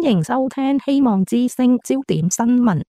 迎收聽希望之聲焦點新聞。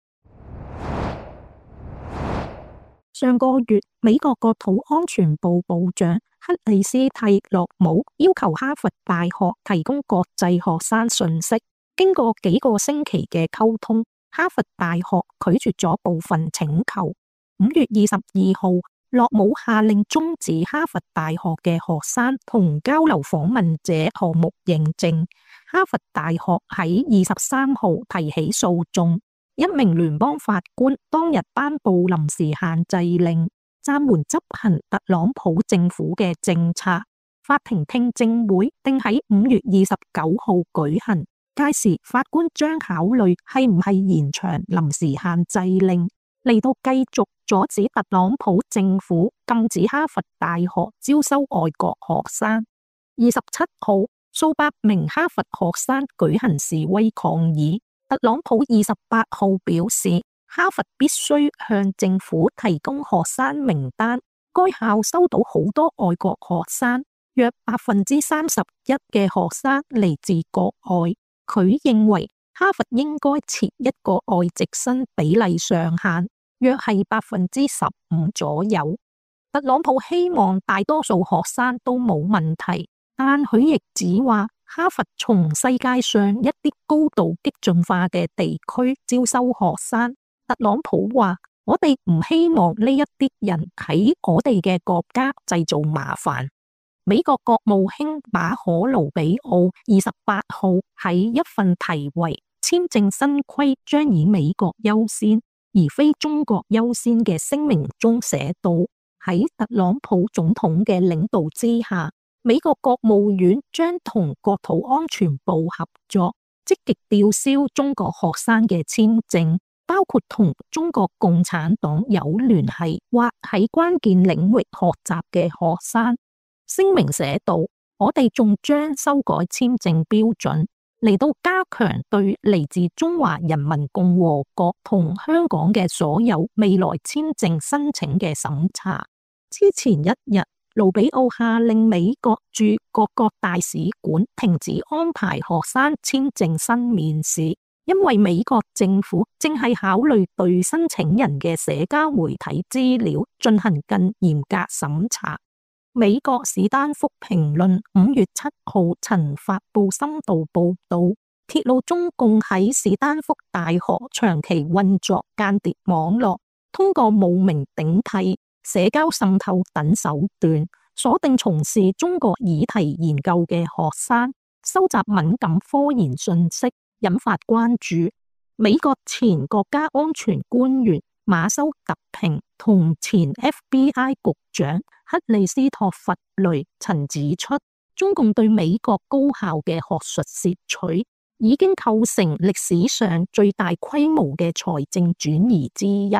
上個月，美國國土安全部部長克里斯蒂洛姆要求哈佛大學提供國際學生訊息。經過幾個星期嘅溝通，哈佛大學拒絕咗部分請求。5月22號，洛姆下令終止哈佛大學嘅學生同交流訪問者項目認證。哈佛大學喺23號提起訴訟。一名聯邦法官當日頒布臨時限制令，暫緩執行特朗普政府嘅政策。法庭聽證會定喺5月29號舉行，屆時法官將考慮係唔係延長臨時限制令，嚟到繼續阻止特朗普政府禁止哈佛大學招收外國學生。27號，數百名哈佛學生舉行示威抗議。特朗普28號表示，哈佛必須向政府提供學生名單。該校收到好多外國學生，約31%嘅學生嚟自國外。佢認為哈佛應該設一個外籍生比例上限，約係15%左右。特朗普希望大多數學生都冇問題，但佢亦指話，哈佛從世界上一啲高度激進化嘅地區招收學生。特朗普話：我哋唔希望呢一啲人喺我哋嘅國家製造麻煩。美國國務卿馬可盧比奧28號喺一份題為《簽證新規將以美國優先而非中國優先》嘅聲明中寫道：喺特朗普總統嘅領導之下，美國國務院將同國土安全部合作，積極吊銷中國學生嘅簽證，包括同中國共產黨有聯繫或喺關鍵領域學習嘅學生。聲明寫道：我哋仲將修改簽證標準，嚟到加強對嚟自中華人民共和國同香港嘅所有未來簽證申請嘅審查。之前一日，盧比奧下令美國駐各國大使館停止安排學生簽證新面試，因為美國政府正係考慮對申請人嘅社交媒體資料進行更嚴格審查。美國史丹福評論5月7號曾發布深度報道，揭露中共喺史丹福大學長期運作間諜網絡，通過冒名頂替、社交滲透等手段，鎖定從事中國議題研究嘅學生，收集敏感科研訊息，引發關注。美國前國家安全官員馬修特平同前 FBI 局長克里斯托弗雷曾指出，中共對美國高校嘅學術竊取已經構成歷史上最大規模嘅財政轉移之一。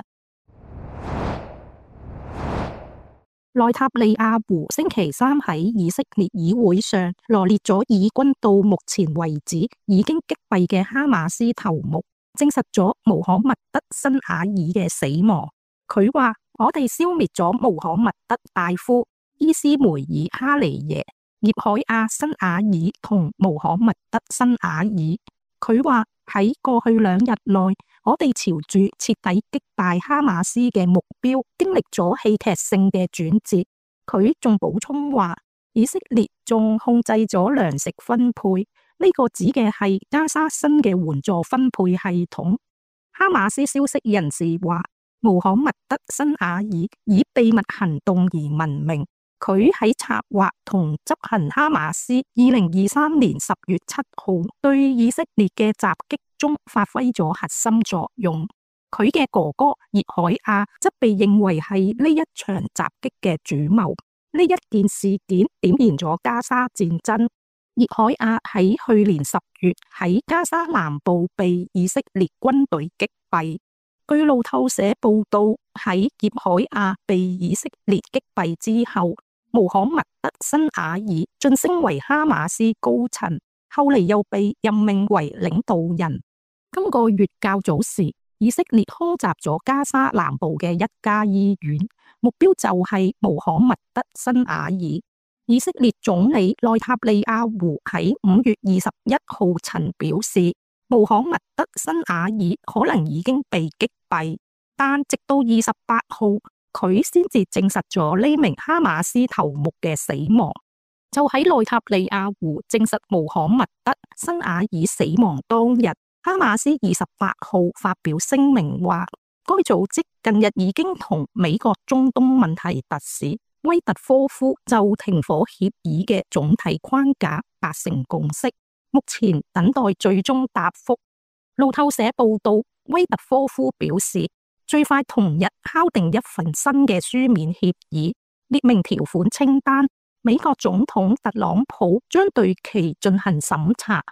內塔尼亞胡星期三喺以色列議會上羅列咗以軍到目前為止已經擊斃嘅哈馬斯頭目，證實咗穆罕默德辛瓦爾嘅死亡。佢話：我哋消滅咗穆罕默德大夫、伊斯梅爾哈尼耶、葉海亞辛瓦爾同穆罕默德辛瓦爾。佢話喺過去2日內，我哋朝住徹底擊敗哈馬斯嘅目標，經歷咗戲劇性嘅轉折。佢仲補充話，以色列仲控制咗糧食分配，呢個指嘅係加沙新嘅援助分配系統。哈馬斯消息人士話，穆罕默德辛瓦爾以秘密行動而聞名。佢喺策劃同執行哈馬斯2023年10月7號對以色列嘅襲擊中發揮咗核心作用。佢嘅哥哥葉海亞則被認為係呢一場襲擊嘅主謀。呢一件事件點燃咗加沙戰爭。葉海亞喺去年10月喺加沙南部被以色列軍隊擊斃。據路透社報道，喺葉海亞被以色列擊斃之後，穆罕默德辛瓦爾晉升為哈馬斯高層，後嚟又被任命為領導人。今個月較早時，以色列空襲咗加沙南部嘅一家醫院，目標就係穆罕默德辛瓦爾。以色列總理內塔尼亞胡喺5月21號曾表示，穆罕默德·辛瓦爾可能已經被擊斃，但直到28號，佢先至證實咗呢名哈馬斯頭目嘅死亡。就喺內塔尼亞胡證實穆罕默德·辛瓦爾死亡當日，哈馬斯28號發表聲明話，該組織近日已經同美國中東問題特使威特科夫就停火協議嘅總體框架達成共識，目前等待最終答覆。路透社報道，威特科夫表示，最快同日敲定一份新嘅書面協議，列明條款清單。美國總統特朗普將對其進行審查。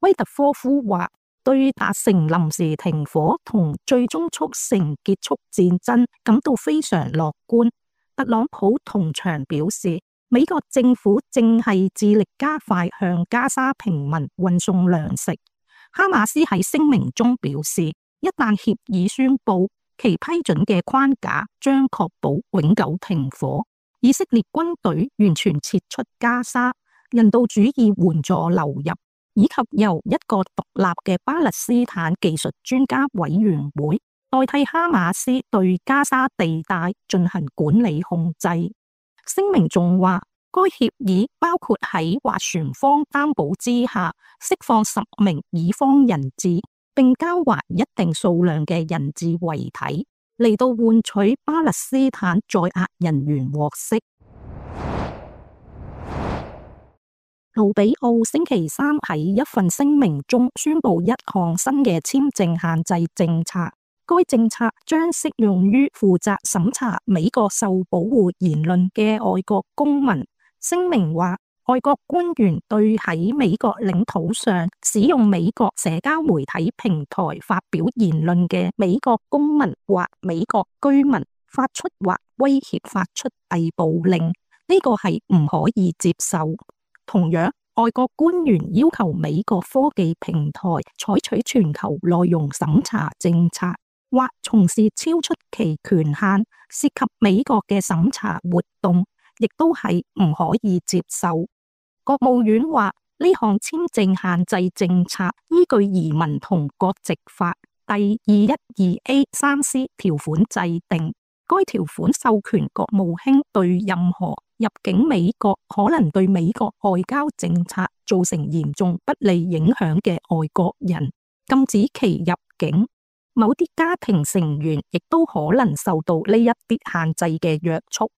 威特科夫話，對達成臨時停火同最終促成結束戰爭感到非常樂觀。特朗普同場表示，美國政府正係致力加快向加沙平民運送糧食。哈馬斯喺聲明中表示，一旦協議宣布，其批准嘅框架將確保永久停火，以色列軍隊完全撤出加沙，人道主義援助流入，以及由一個獨立嘅巴勒斯坦技術專家委員會代替哈馬斯對加沙地帶進行管理控制。聲明仲話，該協議包括喺斡旋方擔保之下釋放10名以方人質，並交還一定數量嘅人質遺體，嚟到換取巴勒斯坦在押人員獲釋。盧比奧星期三喺一份聲明中宣布一項新嘅簽證限制政策，該政策將適用於負責審查美國受保護言論嘅外國公民。聲明話，外國官員對喺美國領土上使用美國社交媒體平台發表言論嘅美國公民或美國居民發出或威脅發出逮捕令，呢個係唔可以接受。同樣，外國官員要求美國科技平台採取全球內容審查政策，或從事超出其權限涉及美國嘅審查活動，亦都係唔可以接受。國務院話，呢項簽證限制政策依據移民同國籍法第212A3C 條款制定，該條款授權國務卿對任何入境美國可能對美國外交政策造成嚴重不利影響嘅外國人，禁止其入境。某啲家庭成員亦都可能受到呢一啲限制嘅約束。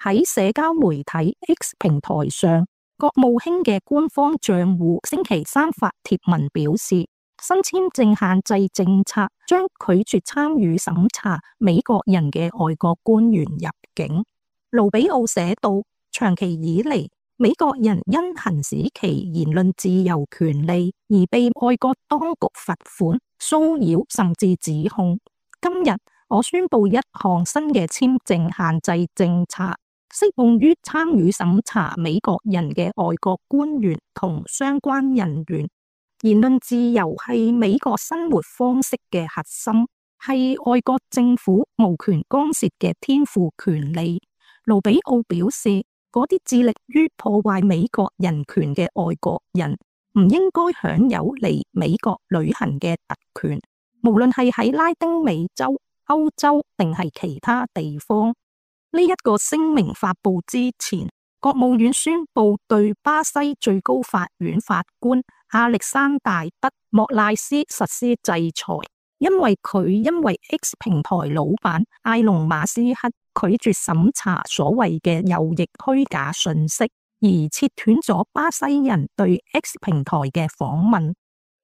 喺社交媒體 X 平台上，國務卿嘅官方賬戶星期三發帖文表示，新簽證限制政策將拒絕參與審查美國人嘅外國官員入境。盧比奧寫道，長期以嚟，美國人因行使其言論自由權利而被外國當局罰款、騷擾甚至指控。今日我宣布一項新嘅簽證限制政策，適用於參與審查美國人嘅外國官員同相關人員。言論自由係美國生活方式嘅核心，係外國政府無權干涉嘅天賦權利。盧比奧表示，嗰啲致力於破壞美國人權嘅外國人唔應該享有嚟美國旅行嘅特權，無論係喺拉丁美洲、歐洲定係其他地方。呢一個聲明發佈之前，國務院宣布對巴西最高法院法官亞歷山大德莫賴斯實施制裁，因為 X 平台老闆埃隆馬斯克拒絕審查所謂嘅右翼虛假訊息，而切斷咗巴西人對 X 平台嘅訪問。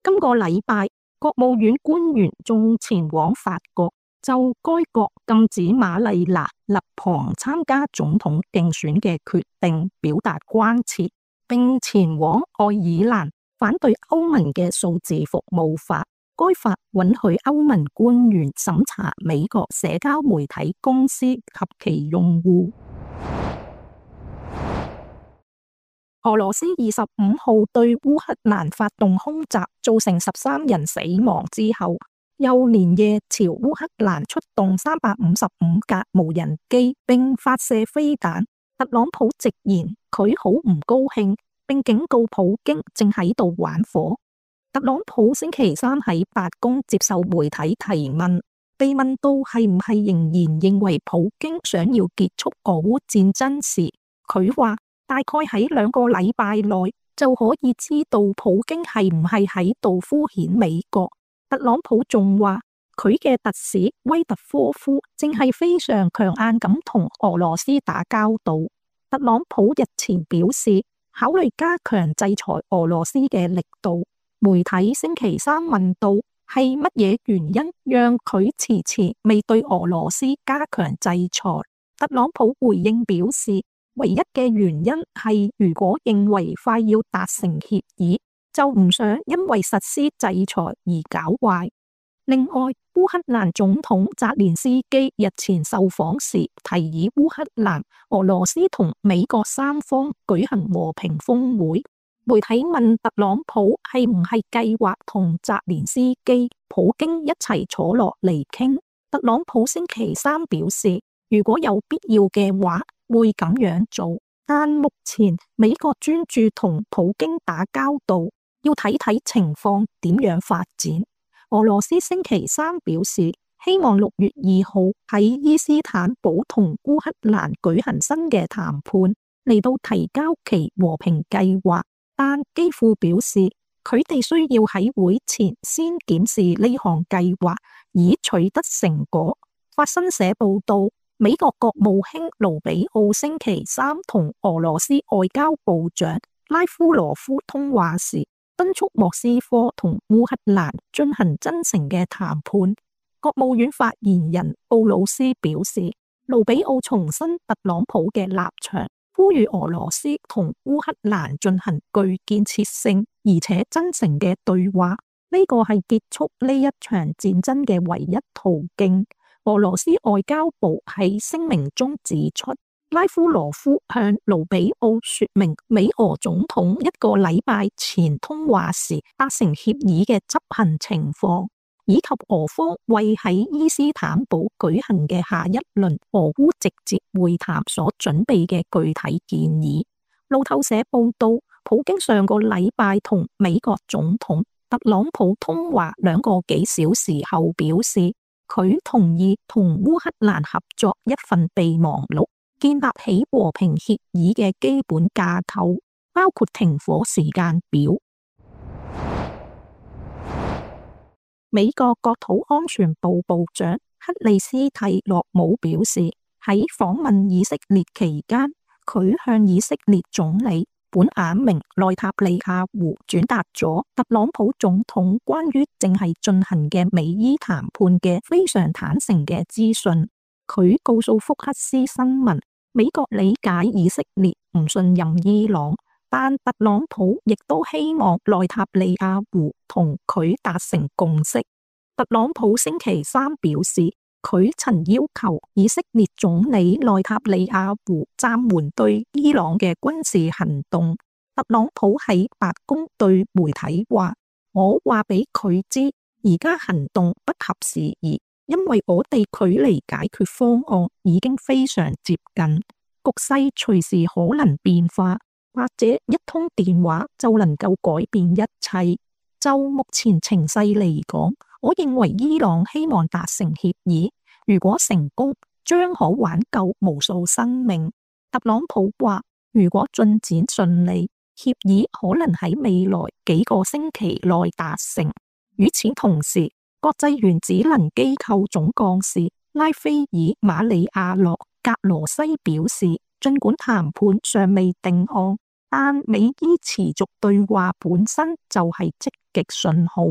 今個禮拜，國務院官員仲前往法國，就該國禁止瑪麗娜勒龐參加總統競選嘅決定表達關切，並前往愛爾蘭反對歐盟嘅數字服務法。該法允許歐盟官員審查美國社交媒體公司及其用戶。俄羅斯25號對烏克蘭發動空襲，造成13人死亡之後，又連夜朝烏克蘭出動355架無人機，並發射飛彈。特朗普直言佢好唔高興，並警告普京正喺度玩火。特朗普星期三喺白宮接受媒體提問，被問到係唔係仍然認為普京想要結束俄烏戰爭時，佢話大概喺2個禮拜內就可以知道普京係唔係喺度敷衍美國。特朗普仲話佢嘅特使威特科夫正係非常強硬咁同俄羅斯打交道。特朗普日前表示考慮加強制裁俄羅斯嘅力度。媒體星期三問到係乜嘢原因讓佢遲遲未對俄羅斯加強制裁，特朗普回應表示，唯一嘅原因係如果認為快要達成協議，就唔想因為實施制裁而搞壞。另外，烏克蘭總統澤連斯基日前受訪時提議烏克蘭、俄羅斯同美國三方舉行和平峰會。媒體問特朗普係唔係計劃同澤連斯基、普京一齊坐落嚟傾，特朗普星期三表示，如果有必要嘅話，會咁樣做。但目前美國專注同普京打交道，要睇睇情況點樣發展。俄羅斯星期三表示，希望6月2號喺伊斯坦堡同烏克蘭舉行新嘅談判，嚟到提交其和平計劃。但基輔表示，佢哋需要喺會前先檢視呢項計劃，以取得成果。法新社報道，美國國務卿盧比奧星期三同俄羅斯外交部長拉夫羅夫通話時，敦促莫斯科同烏克蘭進行真誠嘅談判。國務院發言人布魯斯表示，盧比奧重申特朗普嘅立場，呼籲俄羅斯同烏克蘭進行具建設性而且真誠嘅對話，呢個係結束呢一場戰爭嘅唯一途徑。俄羅斯外交部喺聲明中指出，拉夫羅夫向盧比奧說明美俄總統1個禮拜前通話時達成協議嘅執行情況，以及俄方為喺伊斯坦堡舉行嘅下一輪俄烏直接會談所準備嘅具體建議。路透社報道，普京上個禮拜同美國總統特朗普通話2個幾小時後表示，佢同意同烏克蘭合作一份備忘錄，建立起和平協議嘅基本架構，包括停火時間表。美國國土安全部部長克里斯蒂諾姆表示，喺訪問以色列期間，佢向以色列總理本雅明內塔尼亞胡轉達咗特朗普總統關於正係進行嘅美伊談判嘅非常坦誠嘅資訊。佢告訴福克斯新聞，美國理解以色列唔信任伊朗，但特朗普亦都希望內塔尼亞胡同佢達成共識。特朗普星期三表示，佢曾要求以色列總理內塔尼亞胡暫緩對伊朗嘅軍事行動。特朗普喺白宮對媒體話，我話俾佢知，而家行動不合時宜，因為我哋距離解決方案已經非常接近，局勢隨時可能變化，或者一通電話就能夠改變一切。就目前情勢嚟講，我認為伊朗希望達成協議，如果成功，將可挽救無數生命。特朗普話，如果進展順利，協議可能喺未來幾個星期內達成。與此同時，國際原子能機構總幹事拉斐爾馬里亞諾格羅西表示，儘管談判尚未定案，但美伊持續對話本身就係積極信號。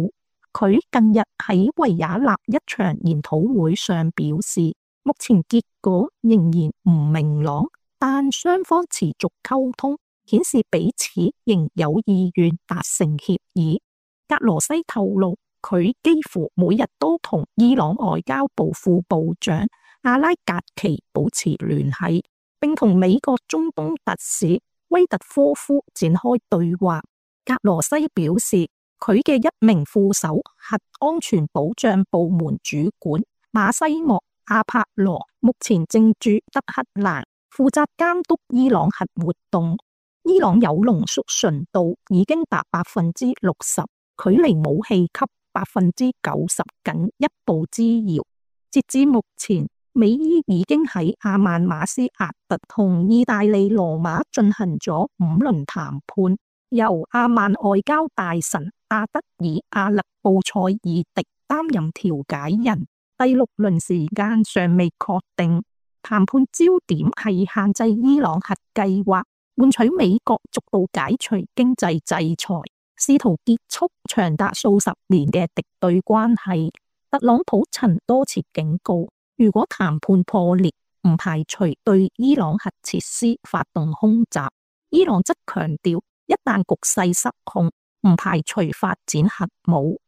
佢近日喺維也納一場研討會上表示，目前結果仍然唔明朗，但雙方持續溝通，顯示彼此仍有意願達成協議。格羅西透露，佢幾乎每日都同伊朗外交部副部長阿拉格奇保持聯繫，並同美國中東特使威特科夫展開對話。格羅西表示，佢嘅一名副手核安全保障部門主管馬西莫阿帕羅目前正駐德黑蘭，負責監督伊朗核活動。伊朗鈾濃縮純度已經達60%，距離武器級90%僅一步之遙。截至目前，美伊已經喺阿曼馬斯亞特同意大利羅馬進行咗5輪談判，由阿曼外交大臣阿德爾阿勒布塞爾迪擔任調解人。第6輪時間尚未確定，談判焦點係限制伊朗核計劃，換取美國逐步解除經濟制裁，試圖結束長達數十年嘅敵對關係。特朗普曾多次警告，如果談判破裂，唔排除對伊朗核設施發動空襲。伊朗則強調，一旦局勢失控，唔排除發展核武。